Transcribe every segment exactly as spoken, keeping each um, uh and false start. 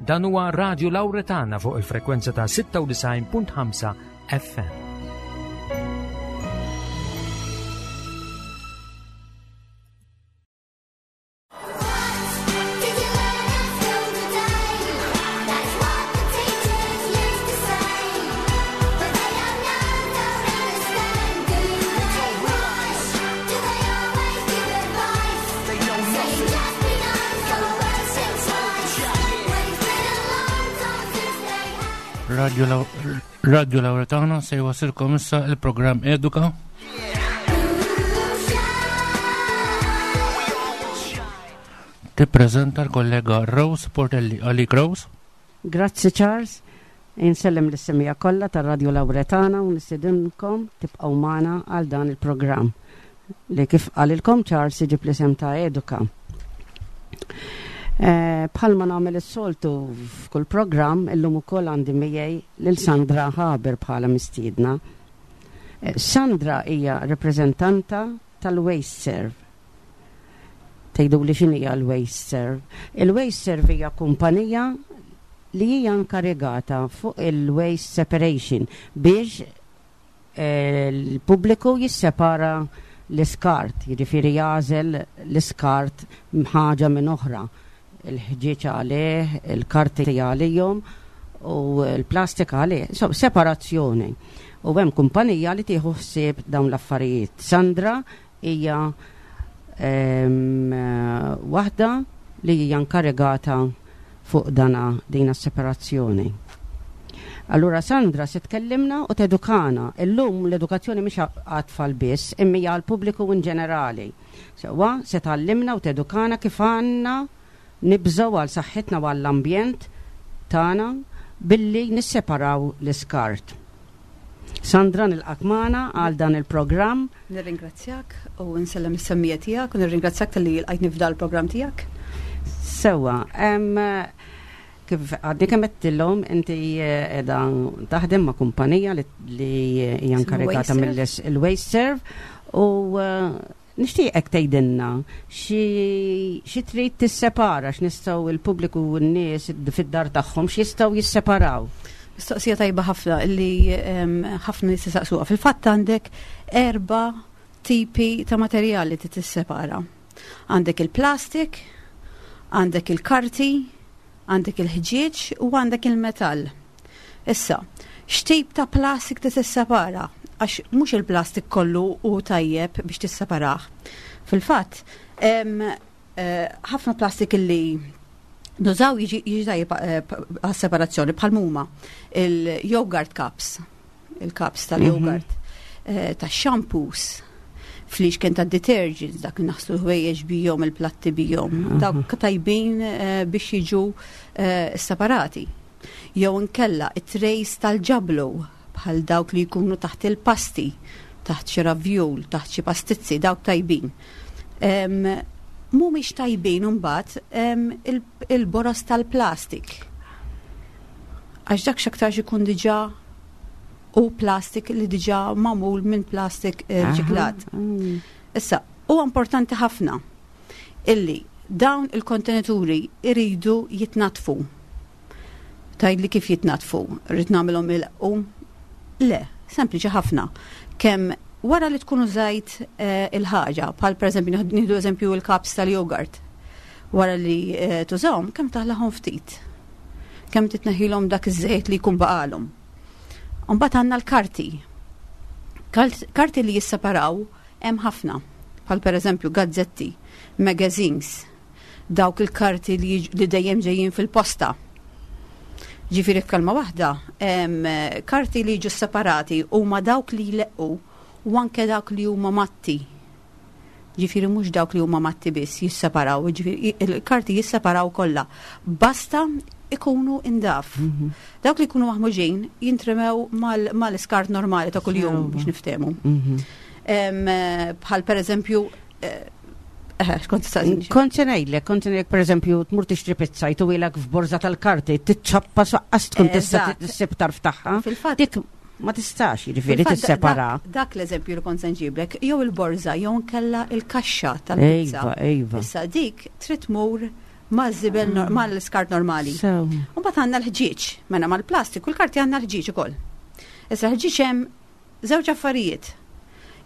Dan huwa Radio Lauretana fuq il-frekwenza ta' sitta u disgħin punt ħamsa F M. Did you learn at school today? That's what the teachers used to say. But they don't know, don't understand. Do they rush? Do they always give advice? They know Say nothing. just be nice or words think twice. When it's been a long time since they had. Radio, Lau- Radio Lauretana se jwasilkom issa il-programm Eduka. Tippreżenta l-kollega Rose Portelli. Għalik, Rose. Grazzi, Charles. Insellem lis-semmiegħa kollha tar-Radio Lauretana u nistedinkom tibqgħu magħna għal dan il-programm li, kif qalilkom Charles, iġib l-isem ta' Eduka. Eh, Bħalma nagħmel is-soltu f'kull programm, illum ukoll għandi miegħi lil Sandra Haber bħala mistiedna. Eh, Sandra hija rappreżentanta tal-WasteServ. Tgħidu li x'inhi l-WasteServ? Il-WasteServ hija kumpanija li hija inkarigata fuq il-waste separation biex eh, l-pubbliku jissepara l-iskart, jiġifieri jagħżel l-iskart ħaġa minn oħra. Il-ħġieġ għalih, il-karti għalihom u l-plastik għalih. So, separazzjoni. U hemm kumpanija li tieħu ħsieb dawn l-affarijiet. Sandra hija em, eh, waħda li hija inkarigata fuq dana dina separazzjoni. Allura Sandra se tkellimna u tedukana. Illum l-edukazzjoni mhix għat-tfal biss, imma hija għall-pubbliku in ġenerali. Sewwa, se tgħallimna u tedukana kif għandna nibżgħu għal saħħitna u għall-ambjent tagħna billi nisseparaw l-iskart. Sandra, nilqgħek magħna għal dan il-programm. Nirringrazzjak u nsellem is-semmiegħa tiegħek u nirringrazzjak talli lqajtni f'dal il-programm tiegħek. Sewwa, em, kif għadni kemm għedtilhom, inti eh, qiegħda taħdem ma' kumpanija li li hija inkarigata WasteServ. mill-WasteServ u eh, nixtieqek tgħidilna xi xi trid tissepara, x'nistgħu il-pubbliku u n-nies fid-dar tagħhom x'jistgħu jisseparaw. Mistoqsija tajba ħafna li em, ħafna nies jistaqsuha. Fil-fatt għandek erba' tipi ta' materjali li tissepara. Għandek il-plastik, għandek il-karti, għandek il-ħġieġ u għandek il-metall. Issa, x'tip ta' plastik ti tissepara? Għax mhux il-plastik kollu hu tajjeb biex tisseparah. Fil-fatt, em, eh, ħafna plastik illi nużaw jiġi jiġi tajjeb eh, għas-separazzjoni, bħal huma il-yogurt cups, il-cups tal-yogurt, eh, tax-shampoos, flixken ta' detergents, dak li naħslu ħwejjeġ bihom, il-platti bihom, dawk tajbin eh, biex jiġu eh, separati. Jew inkella it-trays tal-ġablu, bħal dawk li jkunu taħt il-pasti, taħt xi ravjul, taħt xi pastizzi, dawk tajbin. Em, Mhumiex tajbin imbagħad em, il- il-boros tal-plastik. Għax dak x'aktarx ikun diġà u plastik li diġà magħmul minn plastik eh, riċiklat. Mm. Issa, huwa importanti ħafna illi dawn il-kontenituri iridu jitnatfu. Tgħidli kif jitnatfu? Rrid nagħmilhom il Le, sempliċi ħafna. Kemm wara li tkun użajt eh, il-ħaġa, bħal pereżempju nieħdu eżempju il-cups tal-yogurt. Wara li eh, tużahom, kemm taħlahom ftit. Kemm titneħilhom dak iż-żejt li jkun baqalhom. Mbagħad għandna l-karti. Kart- Karti li jisseparaw hemm ħafna, bħal pereżempju gazzetti, magazines, dawk il-karti li, jiġ- li dejjem ġejjin fil-posta. Ġifieri f'kelma waħda, em, karti li jiġu separati huma dawk li jleqqu u anke dawk li huma matti. Ġifieri mhux dawk li huma matti biss jisseparaw, ġifieri il-karti jisseparaw kollha. Basta ikunu indaf. Dawk li jkunu maħmuġin jintremew mal- mal-iskart normali ta' kuljum Sewwa. biex niftehmu. Mhm. Em, eh, Bħal per eżempju, eh, eh, kont tistaqsini xi- Kont se ngħidlek, kont se ngħidlek pereżempju tmur tixtri pizza, jtuhielek f'borża tal-karti, tiċċappa lanqas tkun tista' Eżatt. issib tarf tagħha. Fil-fatt Dik ma tistax jiġifieri Fil-fatt, tissepara. Dak, dak l-eżempju li kont se nġiblek, jew il-borża jew nkella il-kaxxa tal-pizza. Ejva, ejva. Issa dik trid tmur Maż-żibel nor- mal-iskart normali. So, U mbagħad għandna l-ħġieġ, mela mal-plastik u l-karti għandna l-ħġieġ ukoll. Issa l-ħġieġ hemm żewġ affarijiet.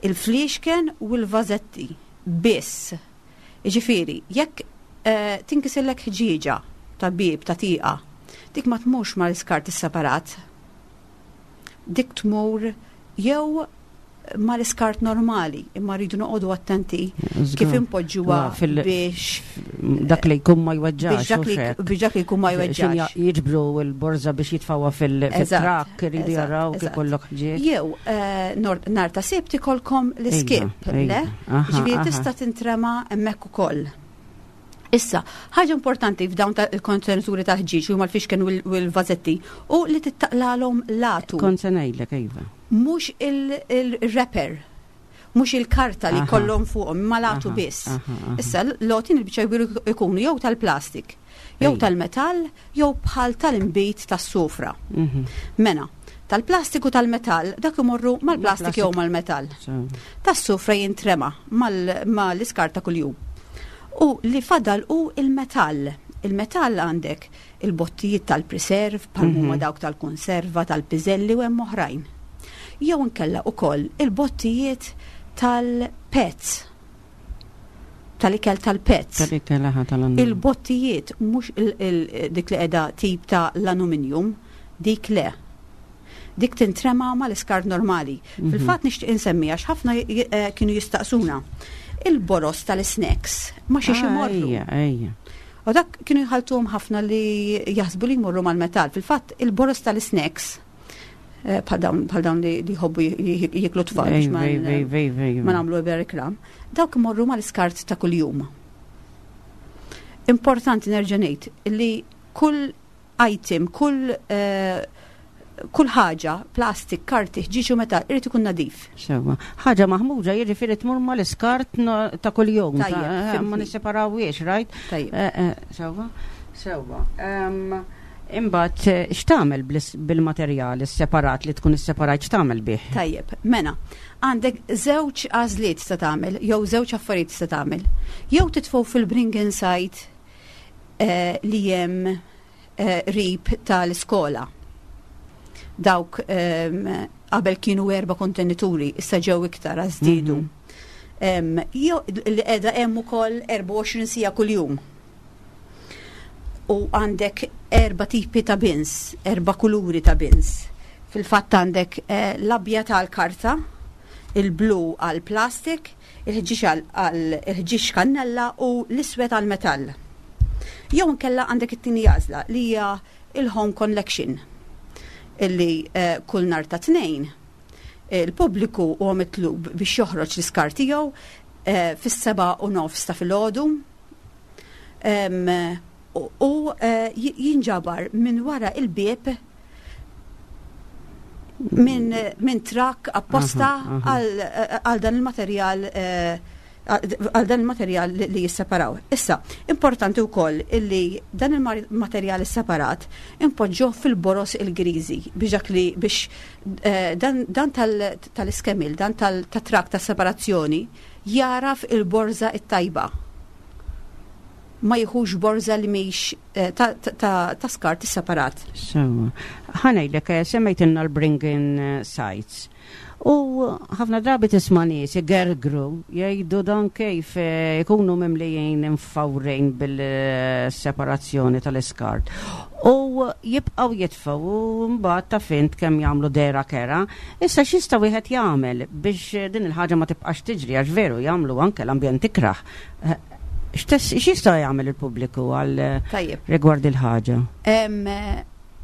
Il-fliexken u l-vażetti biss. Jiġifieri, jekk eh, tinkisillek ħġieġa ta' bib ta' tieqa, dik ma tmurx mal-iskart separat. Dik tmur jew mal-iskart normali, imma rridu noqogħdu attenti kif impoġġuha Wa, fil- biex dak li jkun ma jweġġax. biex dak li u xek. biex dak li jkun ma Xin jweġġax. jiġbru l-borza biex jitfawha fil- Eżatt, fil-trakk, iridu eżatt, jaraw kif eżatt. kollok ħġieġ. Jew eh, nor- nar ta' Sibt ikolkom l-iskip, Ejja, le? ejja. Aha, Ġifieri aha. tista' tintrema hemmhekk ukoll. Issa, ħaġa importanti f'dawn ta' il-kontenituri tal-ħġieġ huma l-fixken u l- u l-vażetti u li tittaqlalhom l-għatu, Kont se ngħidlek, iva. mhux il-wrapper, mhux il-karta li Aha. kollhom fuqhom, imma l-għatu Aha, biss. aha, aha. Issa, l-għotien il-biċċa jbiru ikunu jew tal-plastik, jew Ejja. tal-metall, jew bħal tal-imbit tas-sufra. Mhm. Mena, tal-plastik u tal-metall, dak imorru mal-plastik jew mal-metall. So, Tas-sufra jintrema mal- mal-iskart ta' kuljum. U li fadal u il-metall. Il-metall għandek il-bottijiet tal-preserve, bħal huma Mhm. dawk tal-konserva, tal-piżelli u hemm oħrajn. Jew inkella ukoll il-bottijiet tal-pets. Tal-ikel tal-pets. Tal-ikel, aha, tal-annu. Il-bottijiet mhux il- il- dik li qiegħda tip ta' l-aluminium, dik le. Dik tintrema mal-iskart normali. Mhm. Fil-fatt nixtieq insemmi għax ħafna j- eh, kienu jistaqsuna. Il-boros tal-snacks ma xiex Ah, imorru. Ejja, ejja. U dak kienu jħaltuhom ħafna li jaħsbu li jmorru mal-metall. Fil-fatt il-boros tal-snacks eh, bħal dawn bħal dawn li li jħobbu j- jiklu tfal biex Ejja, ma ejja, ejja, ejja, ejja. ma nagħmlu ebda reklam, dawk imorru mal-iskart ta' kuljum. Importanti nerġa' ngħid li kull item, kull eh, kull ħaġa, plastik, karti, ħġieġ u metall, irid ikun nadif. Sewa. Ħaġa maħmuġa jiġifieri tmur mal-iskart no- ta' kuljum. Tajjeb, ta' eh, fimtni. Ma nisseparawiex, right? Tajjeb. Eh, eh, Sewa. Sewa. Em, Imbagħad eh, x'tagħmel bl- bil-materjal separat li tkun isseparat x'tagħmel bih? Tajjeb, mena, għandek żewġ għażliet tista' tagħmel, jew żewġ affarijiet tista' tagħmel. Jew titfgħu fil-bring inside eh, li hemm eh, qrib tal-iskola. Dawk ehm, qabel kienu erba' kontenituri, issa ġew iktar għax żdiedu. Mhm. Em, Jew li qiegħda hemm ukoll erbgħa u għoxrin siegħa kuljum. U għandek erba' tipi ta' bins, erba' kuluri ta' bins. Fil-fatt għandek eh, l-abjad għal-karta, il-blu għal-plastik, il-ħġieġ għal il-ħġieġ kannella u l-iswed għal-metall. Jew inkella għandek it-tieni għażla li hija il-home collection illi eh, kull nar ta' Tnejn il-pubbliku huwa mitlub biex joħroġ l-iskart tiegħu eh, fis-seba' u nofs ta' filgħodu. Em, u u, eh, j- jinġabar minn wara il-bieb minn min trak apposta Aha, aha. għal għal dan il-materjal eh, għal dan il-materjal li, li jisseparaw. Issa, importanti wkoll illi dan il-materjal separat impoġġuh fil-boros il-griżi biex dak li biex eh, dan, dan tal- tal-iskemil, dan tal-trak ta' separazzjoni jaraf il-borza it-tajba. Ma jieħux borza li mhix eh, ta' ta', ta, ta skart separat. Sewa. Ħa ngħidlek, eh, semmejtilna l-bring-in eh, sites. U ħafna drabi tisma' nies igergru jgħidu dan kif eh, ikunu mimlijin imfawrin bil-separazzjoni tal-iskart. U jibqgħu jitfgħu u mbagħad ta' fint kemm jagħmlu dera kera. Issa x'jista' wieħed jagħmel biex din il-ħaġa ma tibqax tiġri għax veru jagħmlu anke l-ambjent ikrah. Eh, x'tess- X'jista' jagħmel il-pubbliku għal eh, Tajjeb. rigward il-ħaġa? Em, eh,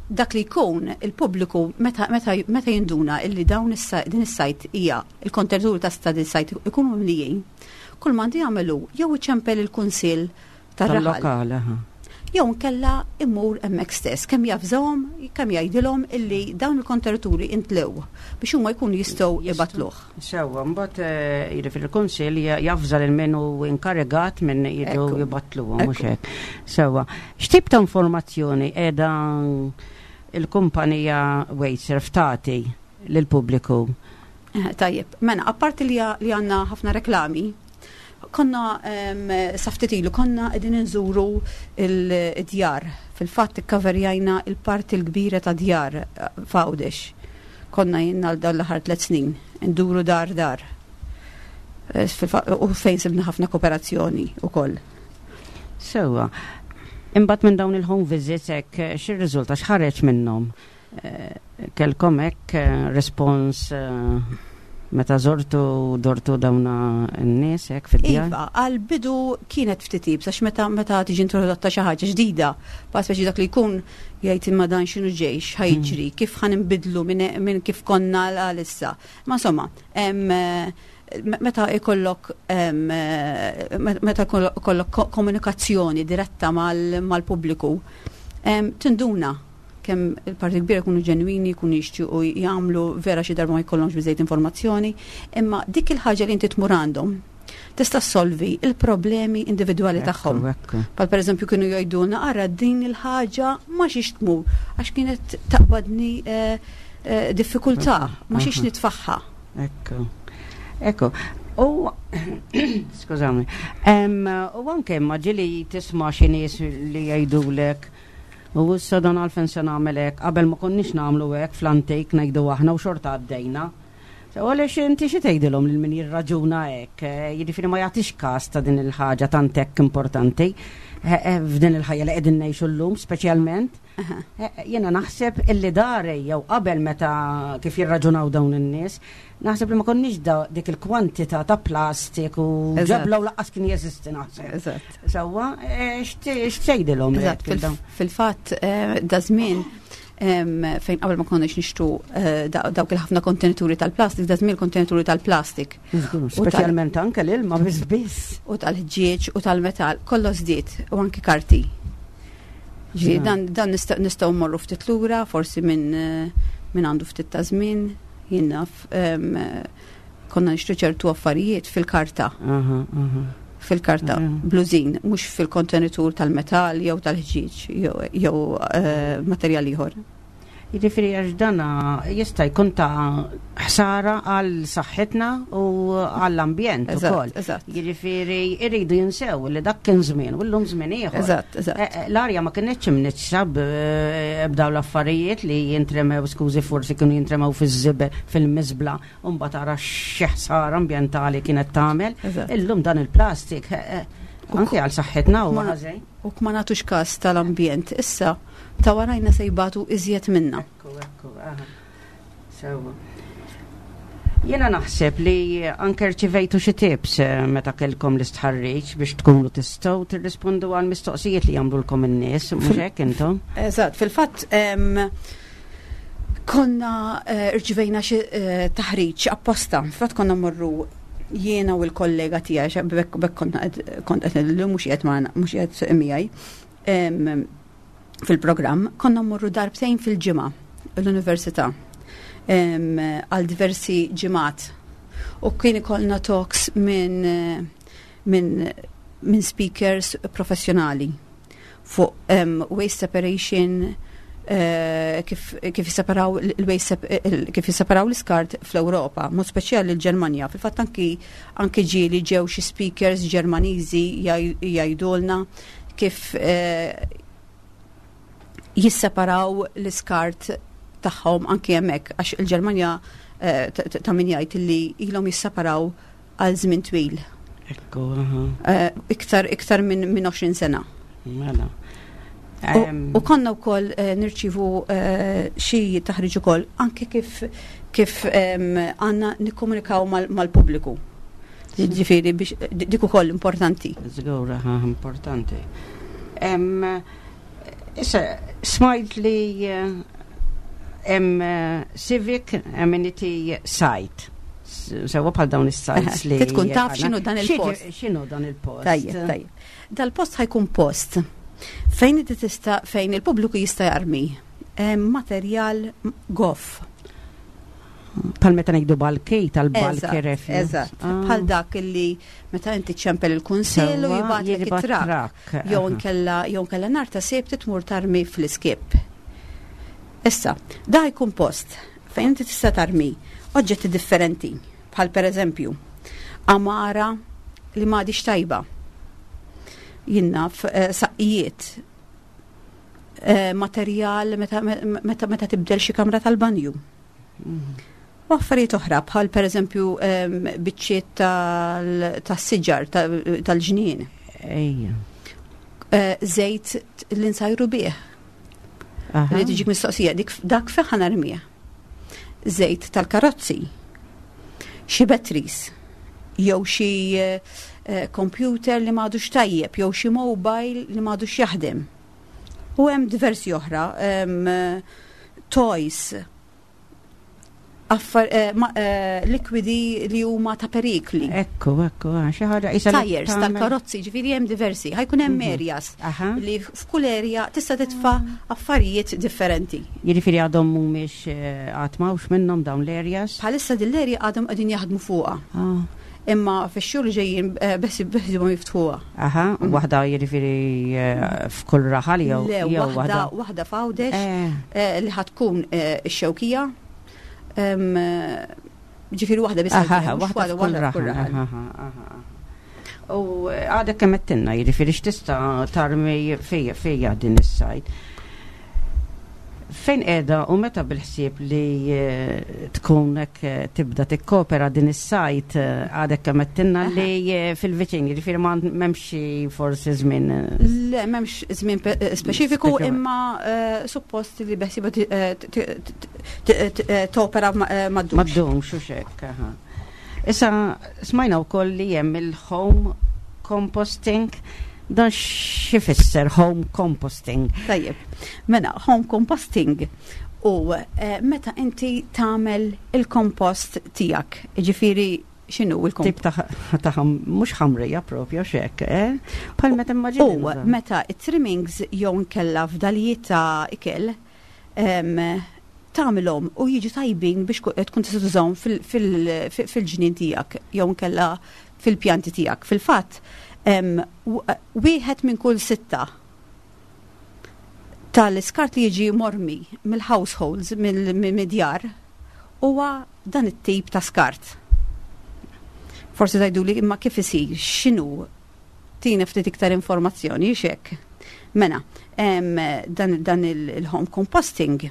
dak li jkun il-pubbliku meta, meta, meta jinduna illi dawn is- din is-site hija il-kontenituri ta' sta din is-site ikunu mimlijin, kull m'għandu jagħmelu jew iċempel il-kunsill tar-raħal Tal-lokal, aha. jew nkella immur hemmhekk stess kemm javżahom, kemm jgħidilhom illi dawn il-kontenituri intlew biex huma jkunu jistgħu jibatluh. Sewa, mbagħad eh, jiġifieri il-kunsill javża lil min hu inkarigat minn jiġu Ekku. jibattluhom mhux Ekku. hekk. Sewa, x'tip ta' informazzjoni qiegħda il-kumpanija WasteServ tagħti lill-pubbliku? Eh, Tajjeb, mena, apparti li li għandna ħafna reklami, Konna em, sa ftit ilu konna qegħdin inżuru il-djar. Fil-fatt ikkaverjajna il-parti l-kbira ta' djar eh, f'Għawdex. Konna jenna l dan l-aħħar tliet snin, nduru dar dar. Eh, fil-fa- U fejn sibna ħafna kooperazzjoni ukoll. Sewwa. Imbagħad minn dawn il-home visits hekk eh, x'irriżulta, x'ħareġ minnhom? Eh, Kellkom hekk eh, respons eh, meta żortu dortu dawna n-nies hekk fid-djar? Iva, għal-bidu kienet ftit iebsa, għax meta meta tiġi introdotta xi ħaġa ġdida, pa speċi dak li jkun jgħid, imma dan x'inhu ġej, x'ħa jiġri, kif ħa nbidlu minn min kif konna għalissa. Ma insomma, em, eh, meta ikollok em, eh, meta ikollok ko- komunikazzjoni diretta mal- mal-pubbliku, em, tinduna kemm il-parti kbira jkunu ġenwini, jkunu jixtiequ jagħmlu vera, xi darba ma jkollhomx biżejjed informazzjoni, imma dik il-ħaġa li inti tmur għandhom tista' solvi il-problemi individwali tagħhom. Ekku, ekku. Pal per eżempju kienu jgħidulna, ara din il-ħaġa ma xiex tmur għax kienet taqbadni eh, eh, diffikultà, ma xiex Aha. nitfaħħa. Ekku. Ekku. U, skużami, Em, u anke ma ġieli tisma' xi nies li jgħidulek, u issa dan għalfejn se nagħmel hekk, qabel ma konniex nagħmlu hekk fl-antik ngħidu aħna u xorta għaddejna. So, għaliex inti xi tgħidilhom lil min jirraġuna hekk, eh, jiġifieri ma jagħtix każ ta' din il-ħaġa tant hekk importanti eh, eh, f'din il-ħajja li qegħdin ngħixu llum speċjalment. Eh, Jiena naħseb illi dari jew qabel meta kif jirraġunaw dawn in-nies, naħseb li ma konniex da dik il-kwantità ta' plastik u Eżatt. ġebla u lanqas kien jeżisti naħseb. Eżatt. Sewwa, eh, x'tgħidilhom Eżatt, hekk fil- fil-fatt eh, da żmien em, fejn qabel ma konniex nixtru eh, da- dawk il-ħafna kontenituri tal-plastik, da żmien kontenituri tal-plastik Żgur, u tal- speċjalment anke l-ilma biss biss. U tal-ħġieġ u tal-metal, kollox żdied u anki karti. Ġifieri Ja. dan, dan nista- nistgħu mmorru ftit lura, forsi minn eh, min għandu ftit ta' żmien, jien naf, em, eh, konna nixtru ċertu affarijiet fil-karta, Aha, aha. fil-karta, Ja. blużin, mhux fil-kontenitur tal-metal jew tal-ħġieġ jew- jew eh, materjal ieħor. Jiġifieri għax dana jista' jkun ta' ħsara għal saħħitna u għall-ambjent ukoll. Eżatt, eżatt. Jiġifieri iridu jinsew li dak kien żmien u llum żmien ieħor. Eżatt, eżatt. Eh, eh, L-arja ma kienetx imniġġsa b'daw l-affarijiet li jintremew, skużi, forsi kienu jintremew fiż-żibel, fil-miżbla, u mbagħad tara xi ħsara ambjentali kienet tagħmel. Eżatt. Illum dan il-plastik eh, eh, anke għal saħħitna huwa Ma- ħażin. U ma nagħtux każ tal-ambjent, issa ta' warajna se jbatu iżjed minna. Ekku, ekku, aha. Sewwa. Jena naħseb li anke rċivejtu xi tips eh, meta kellkom l-istħarriġ biex tkunu tistgħu tirrispondu għal mistoqsijiet li jagħmlulkom in-nies, mhux hekk intom? Eżatt, fil-fatt em, konna eh, rċivejna xi eh, taħriġ apposta. Fil-fatt konna morru jiena u l-kollega tiegħi, xa bekk bekk konna qed- kont qed illum mhux qiegħed magħna, mhux qiegħed miegħi em, fil-programm, konna mmorru darbtejn fil-ġimgħa l-università em, għal diversi ġimgħat. U kien ikollna talks minn eh, minn minn speakers professjonali fuq um, waste separation, eh, kif kif jisseparaw il-waste sep- il- kif jisseparaw l-iskart fl-Ewropa, mod speċjali l-Ġermanja. Fil-fatt anki anki ġieli ġew xi speakers Ġermaniżi jgħid- jgħidulna kif eh, jisseparaw l-iskart tagħhom anki hemmhekk, għax il-Ġermanja eh, ta- ta' min jgħid li ilhom jisseparaw għal żmien twil. Ekku, aha. Eh, iktar iktar minn min għoxrin sena. Mela. U- Em, U konna wkoll eh, nirċivu eh, xi taħriġ ukoll anke kif kif em, għandna nikkomunikaw mal- mal-pubbliku. Ġifieri biex dik ukoll importanti. Żgur, aha, importanti. Em, Issa, smajt li eh, hemm eh, Civic Amenity Site. S- Sewwa, bħal dawn is-sites li. Trid tkun taf x'inhu dan il-post. Xi- X'inhu dan il-post? Tajjeb, tajjeb. Dal-post ħa jkun post fejn inti tista' fejn il-pubbliku jista' jarmi em, materjal goff. Bħal meta ngħidu bulky, tal-bulky Eżatt, refuse. Eżatt. Ah. Bħal dak illi meta inti ċempel il-kunsill u Sewwa, jibgħatlek jibgħat it-trakk. trakk. Jew Aha. nkella jew nkella nhar ta' Sibt tmur tarmi fl-iskip. Issa, da jkun post fejn inti tista' tarmi oġġetti differenti, bħal pereżempju għamara li m'għadix tajba. Jien naf eh, saqqijiet, eh, materjal meta, meta, meta tibdel xi kamra tal-banju. U affarijiet oħra bħal pereżempju em, biċċiet tal- tas-siġar ta- tal-ġnien. Ejja. Eh, Żejt li nsajru bih. Aha. Li tiġik mistoqsija, dik dak fejn ħa narmih. Żejt tal-karozzi, xi batteries, jew xi eh, eh, computer li m'għadux tajjeb, jew xi mobile li m'għadux jaħdem. U hemm diversi oħra, em, eh, toys, affar, eh, ma, eh, likwidi li huma ta' perikli. Ekku, ekku, ah, xi ħaġa isa li Tires tagħmel- tal-karozzi, ġifieri hemm diversi. Ħa jkun hemm Mhm. areas Aha. li f'kull area tista' titfa' affarijiet differenti. Jiġifieri għadhom mhumiex eh, għad m'hawnx minnhom dawn l-areas. Bħalissa din l-area għadhom qegħdin jaħdmu fuqha. Ah. Imma fix-xhur li ġejjin eh, bes beħsiebhom jiftħuha. Aha, Mhm. waħda jiġifieri eh, f'kull raħal jew Le, jew waħda waħda f'Għawdex Eh, eh, li ħa tkun eh, ix-Xewkija. Em, eh, Ġifieri waħda biss Aha, ħa jkun hemm, mhux waħda f'kull waħda raħal. Aha, aha. U eh, għadek kemm għedtilna, jiġifieri x'tista' tarmi fija fija din is-site. Fejn qiegħda u meta bil-ħsieb li eh, tkun hekk eh, tibda tikkopera din is-site eh, għadek kemm għedtilna Aha. li eh, fil-viċin, jiġifieri ma m'hemmx xi forsi żmien. eh, Le, m'hemmx żmien pe- eh, speċifiku, Speċifiku. imma eh, suppost li beħsiebha ti- eh, t- t- t- t- eh, topera ma- eh, Ma m'għaddux. ddumx u xek, aha. Issa smajna wkoll li hemm il-home composting, dan x'ifisser home composting? Tajjeb, mela, home composting u eh, meta inti tagħmel il-kompost tiegħek, ġifieri x'inhu il-kompost? Tip ta' ta' ħam- mhux ħamrija propja xek, eh? Bħal meta immaġini. U meta it-trimmings jew nkella fdalijiet ta' ikel em, tagħmilhom u jiġu tajbin biex ku- tkun tista' tużahom fil- fil- fil- fil-ġnien tiegħek jew nkella fil-pjanti tiegħek. Fil-fatt, em, w- wieħed minn kull sitta tal-iskart li jiġi mormi mill-households, mill-djar, huwa dan it-tip ta' skart. Forsi tgħidu li imma kif isir, x'inhu tina ftit iktar informazzjoni xek. Mela, em, dan, dan il- il-home composting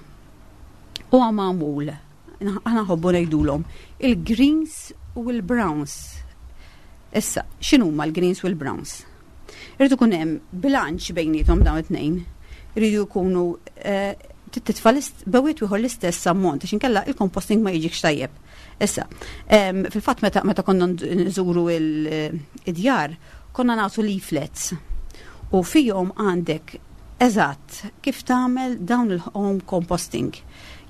huwa magħmul, aħna nħobbu ngħidulhom, il-greens u l-browns. Issa, x'inhuma l-greens u l-browns? Irridu ikun hemm bilanċ bejniethom dawn it-tnejn. Irridu jkunu eh, titfa' bejn wieħed u ieħor l-istess ammont, għax inkella il-composting ma jiġikx tajjeb. Issa, em, fil-fatt meta, meta konna nżuru il-djar, konna nagħtu leaflets u fihom għandek eżatt kif tagħmel dawn il-home composting.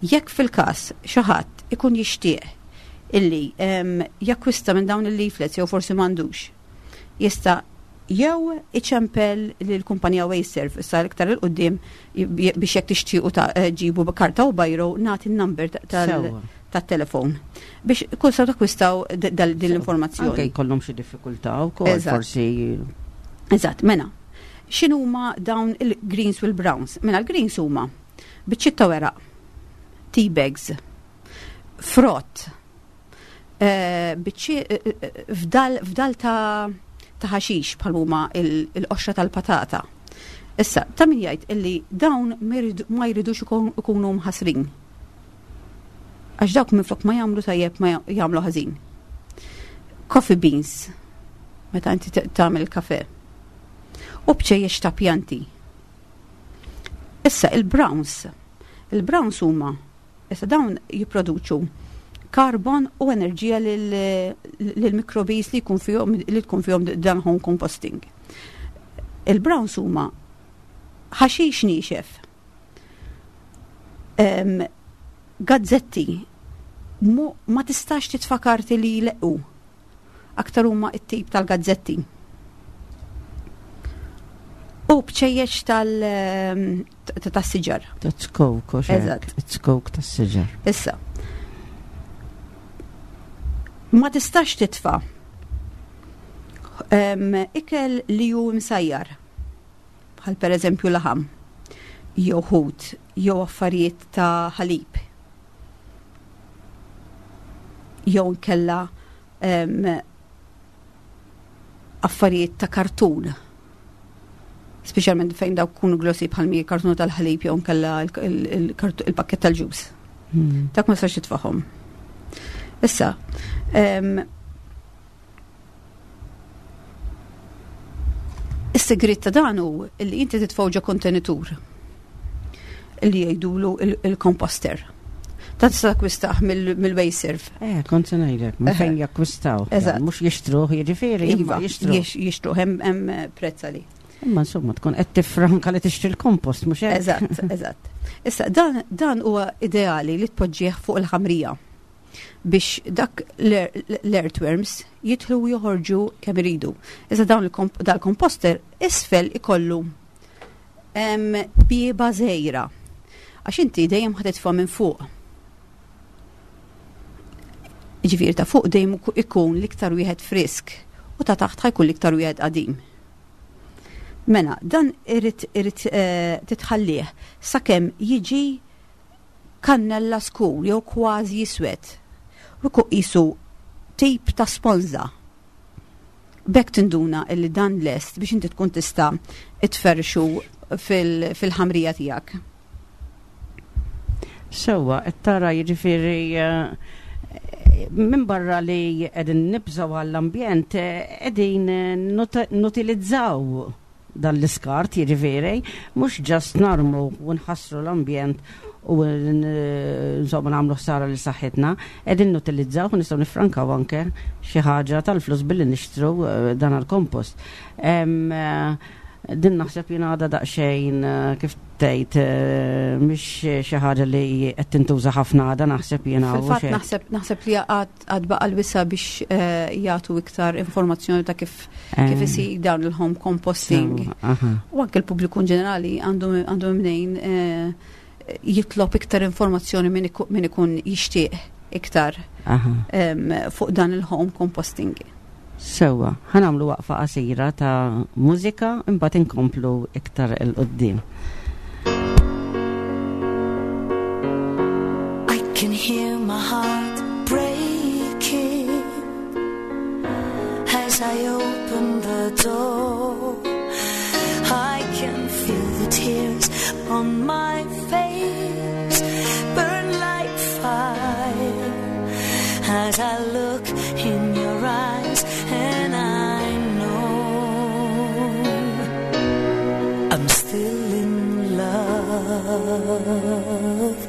Jekk fil-każ xi ħadd ikun jixtieq illi em, jakkwista minn dawn il-leaflets jew forsi m'għandux, jista' jew iċempel lill-kumpanija WasteServ issa iktar 'il quddiem biex jekk tixtiequ ta' ġibu karta u biro nagħti n-number tal- Sewwa. tat-telefon biex kull saw takkwistaw d- dal- din Anke l-informazzjoni. jkollhom xi diffikultà wkoll Eżatt. forsi. Eżatt, mela. X'inhuma dawn il-greens u l-browns? Mela l-greens huma biċċiet ta' weraq, tea bags, frott, eh, biċċi- eh, eh, fdal fdal ta' ta' ħaxix bħal huma il- il-qoxra tal-patata. Issa, ta' min jgħid illi dawn ma jridu- ma jridux ikun- ikunu mħasrin. Għax dawk minflok ma jagħmlu tajjeb ma jagħmlu ħażin. Coffee beans, meta inti t- tagħmel kafe. U bċejjex ta' pjanti. Issa il-browns. Il-browns huma issa dawn jipproduċu karbon u enerġija lil-mikrobis li jkun fihom li tkun fihom dan home composting. Il-browns huma ħaxix niexef. Em, gazzetti mu, ma tistax titfa' karti li jleqqu. Aktar huma it-tip tal-gazzetti. U bċejjeċ tal- em, ta- tas-siġar. Ta' zkuk, u xek. Eżatt. Zkuk tas-siġar. Issa. Ma tistax titfa' em, ikel li hu msajjar, bħal per eżempju laħam, jew ħut, jew affarijiet ta' ħalib, jew nkella em, affarijiet ta' kartun. Speċjalment fejn dawk kunu glossy bħal mi kartun tal-ħalib jew nkella il-pakket tal-ġus. Hmm. Dak ma tistax titfagħhom. Issa, em, is-segret ta' dan hu li inti titfgħu ġo kontenitur li jgħidulu il- il-composter. Ta' tista' takkwistah mill-WasteServ. Eh, kont se ngħidlek, minn fejn jakkwistaw. Eżatt. Mhux jixtruh, jiġifieri, imma Iva, jixtruh. jix- jixtruh hemm hemm prezz għalih. Imma insomma tkun qed tifranka li tixtri l-kompost, mhux hekk? Eżatt, eżatt. Issa, dan, dan huwa ideali li tpoġġih fuq il-ħamrija biex dak l-earthworms jidħlu u joħorġu kemm iridu. Issa dawn il-komp- dal-komposter isfel ikollu em, bieba żgħira. Għax inti dejjem ħa titfa' minn fuq. Ġifieri ta' fuq dejjem ikun l-iktar wieħed frisk u ta' taħt ħa jkun l-iktar wieħed qadim. Mela, dan irid irid eh, titħallih sakemm jiġi kannella skur jew kważi jiswed. U jkun qisu tip ta' sponża. B'hekk tinduna illi dan lest biex inti tkun tista' tferrxu fil- fil-ħamrija tiegħek. Sewwa, qed tara jiġifieri eh, minn barra li qegħdin nibżgħu għall-ambjent, eh, qegħdin eh, nut- nutilizzaw dan l-iskart jiġifieri, mhux just narmu u nħassru l-ambjent u n- insomma nagħmlu ħsara lil saħħitna, qegħdin nutilizzaw u nistgħu nifrankaw anke xi ħaġa tal-flus billi nixtru eh, dan il-kompost. Em, eh, Din naħseb jien għadha daqsxejn eh, kif tgħid eh, mhix xi ħaġa li qed tintuża ħafna għadha naħseb jiena u Fil-fatt xejn. naħseb naħseb li għad għad baqa l-wisa biex eh, jagħtu iktar informazzjoni ta' kif kif Eh, isir dawn il-home composting. sewwa, aha. U anke l-pubbliku in ġenerali għandu għandu mnejn eh, jitlob iktar informazzjoni min iku- min ikun jixtieq iktar Aha. em, fuq dan il-home composting. Sewwa, ħa nagħmlu waqfa qasira ta' mużika imbagħad inkomplu iktar 'il quddiem. I can hear my heart breaking as I open the door. I can feel the tears on my face burn like fire as I look in your eyes, and I know I'm still in love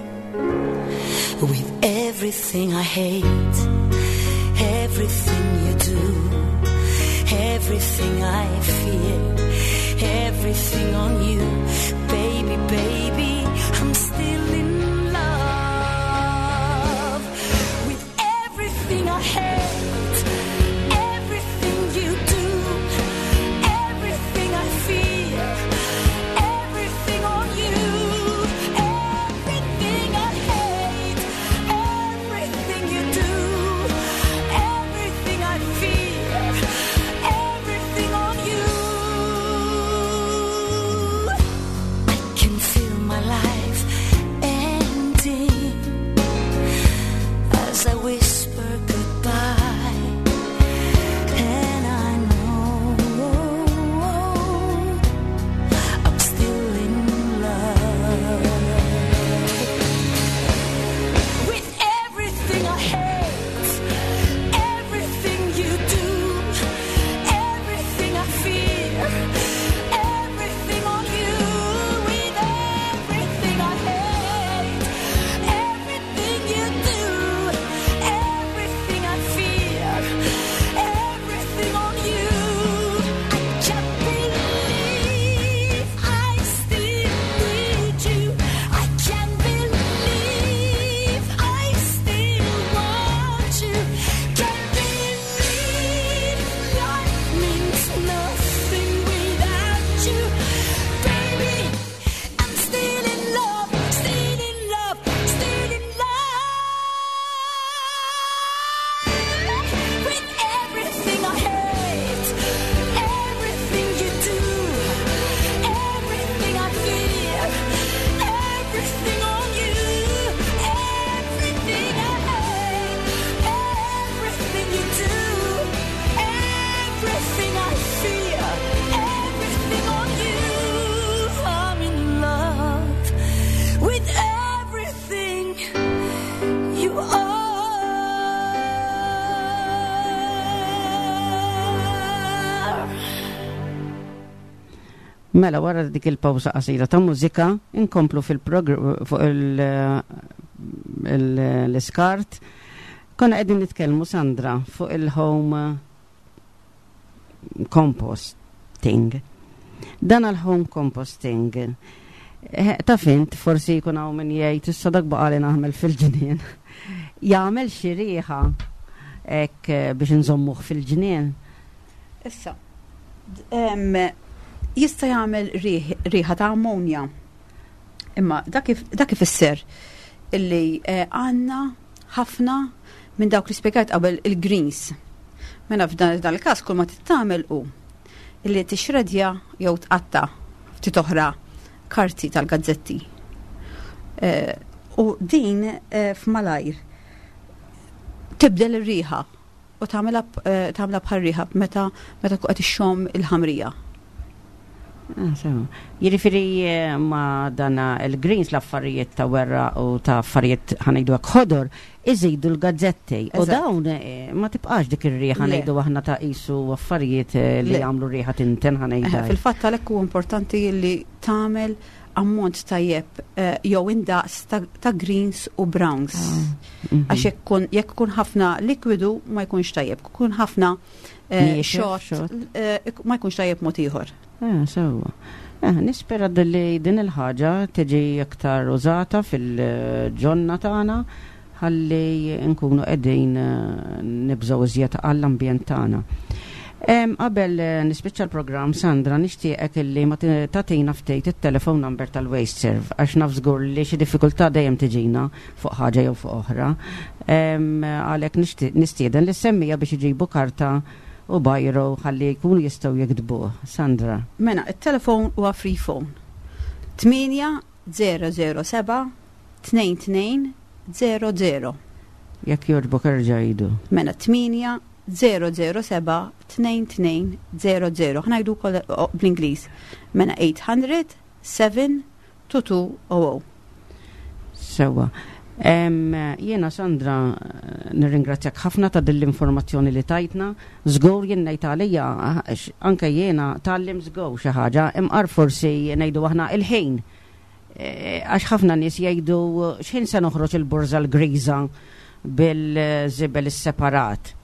with everything I hate, everything you do, everything I fear, everything on you, baby, baby, I'm still in love with everything I hate, everything you do, everything I fear, everything on you, everything I hate, everything you do, everything I fear, everything on you. I can feel my life Mela wara dik il-pawsa qasira ta' mużika inkomplu fil-progr fuq l-iskart. Konna qegħdin nitkellmu, Sandra, fuq il-home composting. Dan għal-home composting. Eh, Ta' fint, forsi jkun hawn min jgħid issa dak baqali naħmel fil-ġnien. Jagħmel xi riħa hekk eh, biex nżommuh fil-ġnien. Issa, d- em, jista' jagħmel riħ- riħa ta' ammonja. Imma dak if- dak ifisser illi eh, għandna ħafna minn dawk li spjegajt qabel, il-greens. Mela f'dan dan il-każ kull ma tagħmel hu illi tixredja jew tqatta ftit oħra karti tal-gazzetti. Eh, u din eh, f'malajr tibdel ir-riħa u tagħmilha eh, tagħmilha bħal riħa meta meta tkun qed ixxomm il-ħamrija. Ah, sewa. Jiġifieri eh, ma dana il-greens, l-affarijiet ta' werra u ta' affarijiet, ħa ngħidu hekk, ħodor, iżidu l-gazzetti. U Eżatt. dawn eh, ma tibqax dik ir-riħa Le. ngħidu aħna ta' qisu affarijiet eh, li Le. jagħmlu riħa tinten, ħa ngħidu. Eh, Fil-fatt għalhekk huwa importanti li tagħmel ammont tajjeb eh, jew indaqs ta', ta' greens u browns. Mhm. Għax jekk kun jekk ikun ħafna likwidu ma jkunx tajjeb, kun ħafna eh, Niexef, xott xott. eh, ma jkunx tajjeb mod ieħor. Eh, sewa. Eh, nispera li din il-ħaġa tiġi aktar użata fil-ġonna tagħna ħalli nkunu qegħdin eh, nibżgħu iżjed għall-ambjent tagħna. Em, Qabel eh, nispiċċa l-programm, Sandra, nixtieqek illi ma ti- tagħtina ftit it-telephone number tal-WasteServ, għax naf żgur li xi diffikultà dejjem tiġina fuq ħaġa jew fuq oħra. Em, Għalhekk nixtieq- nistieden li semmija biex iġibu karta u biro ħalli jkunu jistgħu jiktbuh. Sandra. Mela, il-telefon huwa free phone. tmienja zero zero seba' tnejn tnejn zero zero. Jekk jogħġbok erġa' għidu. Mela tmienja zero zero seba' tnejn tnejn zero zero. Ħa ngħidu wkoll bl-Ingliż. Mela eight hundred seven two two zero zero. Sewa. Em, Jiena Sandra, nirringrazzjak ħafna ta' din l-informazzjoni li tajtna. Żgur jien ngħid għalija, għax anke jiena tgħallimt żgur xi ħaġa, imqar forsi ngħidu aħna il-ħin. Eh, Għax ħafna nies jgħidu x'ħin se noħroġ il-borża l-griża bil-żibel is-separat.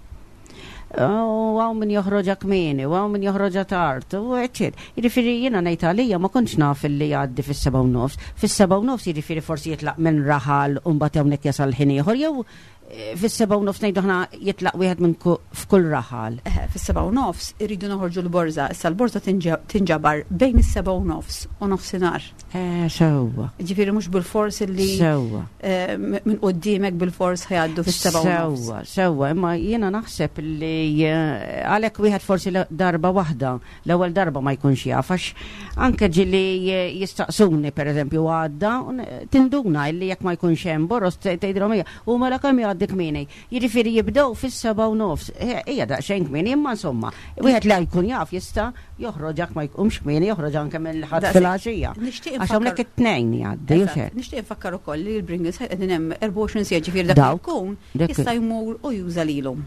U hawn min joħroġha kmieni, u hawn min joħroġha tard, u eċċet. Jiġifieri jiena ngħid għalija ma kontx naf illi jgħaddi fis-seba' u nofs. Fis-seba' u nofs jiġifieri forsi jitlaq minn raħal u mbagħad hawnhekk jasal ħin ieħor, jew eh, fis-seba' u nofs ngħidu aħna jitlaq wieħed minn ku- f'kull raħal. Eh, Fis-seba' u nofs irridu noħorġu l-borża. Issa l-borża tinġa- tinġabar bejn is-seba' u nofs u nofsinhar. Eh, sewwa. Ġifieri mhux bil-fors illi Sewwa. eh, minn quddiemek bil-fors ħa jgħaddu fis-seba' u nofs. Sewwa, sewwa, imma jiena naħseb li eh, għalhekk wieħed forsi l- darba waħda, l-ewwel darba ma jkunx jaf, għax anke ġieli eh, jistaqsuni pereżempju għadda, u n- tinduna illi jekk ma jkunx hemm boroż tgħidilhom hija, u mela kemm jgħaddi kmieni. Jiġifieri jibdew fis-seba' u nofs. Eh, Hija daqsxejn kmieni, imma insomma, wieħed li jkun jaf jista' joħroġ jekk ma jkunx kmieni, joħroġ anke mill-Ħadd Daqshekk. filgħaxija. Nixtieq Għax infakkar- hawnhekk it-tnejn jgħaddi, u Eżatt. xejn. Nixtieq infakkar ukoll li l-bring-in site qegħdin hemm erbgħa u għoxrin siegħa, ġifieri dak Dawk. li jkun Dak- jista' jmur u juża lilhom.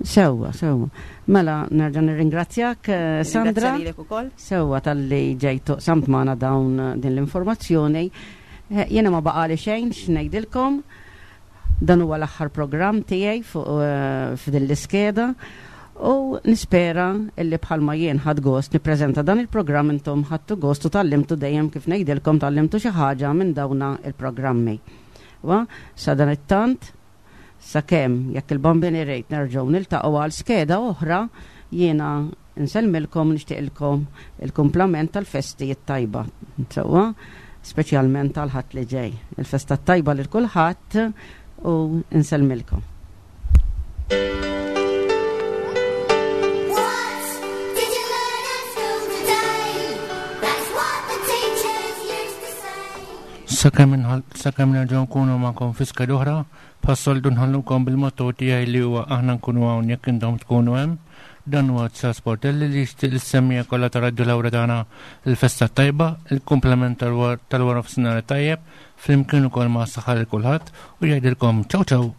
Sewwa, sewwa. Mela, nerġa' nirringrazzjak, eh, Sandra. Ringrazzja lilek ukoll. Sewwa talli ġejtu samt magħna dawn eh, din l-informazzjoni. Eh, Jiena ma baqali xejn x'ngħidilkom. Dan huwa l-aħħar programm tiegħi fuq eh, f'din l-iskeda. U nispera illi bħalma jien ħadt gost nippreżenta dan il-programm, intom ħadtu gost u tgħallimtu, dejjem kif ngħidilkom, tgħallimtu xi ħaġa minn dawna il-programmi. Wa, sa dan it-tant, sakemm jekk il-Bambin irid nerġgħu niltaqgħu għal skeda oħra, jiena nsellmilkom, nixtieqilkom il-kumplament tal-festi t-tajba. Sewwa, speċjalment tal-Ħadd li ġej. Il-festa tajba lil kulħadd u nsellmilkom. What did you learn at school today? That's what the teachers used to say. Sakemm inħall- sakemm nerġgħu nkunu magħkom fi skeda oħra, bħas-soltu nħallukom bil-motto tiegħi li huwa aħna nkunu hawn jekk intom tkunu hemm. Dan huwa Charles Portelli li jixtieq lis-semmiegħa kollha ta' Radio Lauretana il-festa tajba, il-komplement tal-wara nofsinhar tajjeb, flimkien ukoll ma' saħħa lil kulħadd u jgħidilkom ciao ciao.